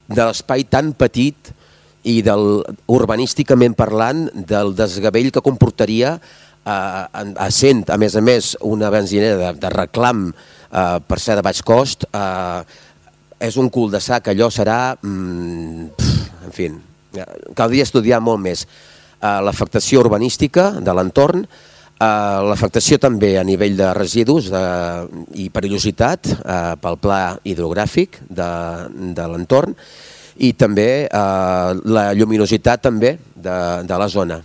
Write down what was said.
de l'espai tan petit i urbanísticament parlant del desgavell que comportaria essent, a més, una benzinera de reclam per ser de baix cost, és un cul de sac, allò serà, en fi, caldria estudiar molt més l'afectació urbanística de l'entorn, l'afectació també a nivell de residus i perillositat pel pla hidrogràfic de l'entorn i també la lluminositat també de la zona.